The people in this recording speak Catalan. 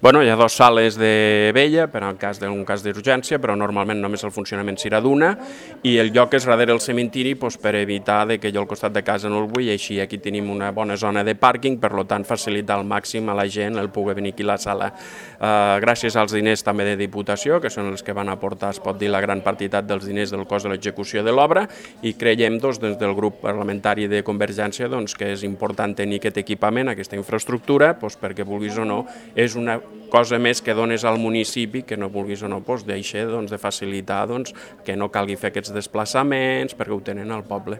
Bueno, hi ha dues sales de vella per al cas d'un cas d'urgència, però normalment només el funcionament serà d'una, i el lloc és darrere el cementiri per evitar que jo al costat de casa no el vull, i així aquí tenim una bona zona de pàrquing, per tant facilitar al màxim a la gent el poder venir aquí a la sala. Gràcies als diners també de Diputació, que són els que van aportar, es pot dir, la gran partitat dels diners del cost de l'execució de l'obra, i creiem des del grup parlamentari de Convergència que és important tenir aquest equipament, aquesta infraestructura, perquè vulguis o no, és una cosa més que dones al municipi, que no vulguis o no, deixa de facilitar que no calgui fer aquests desplaçaments perquè ho tenen al poble.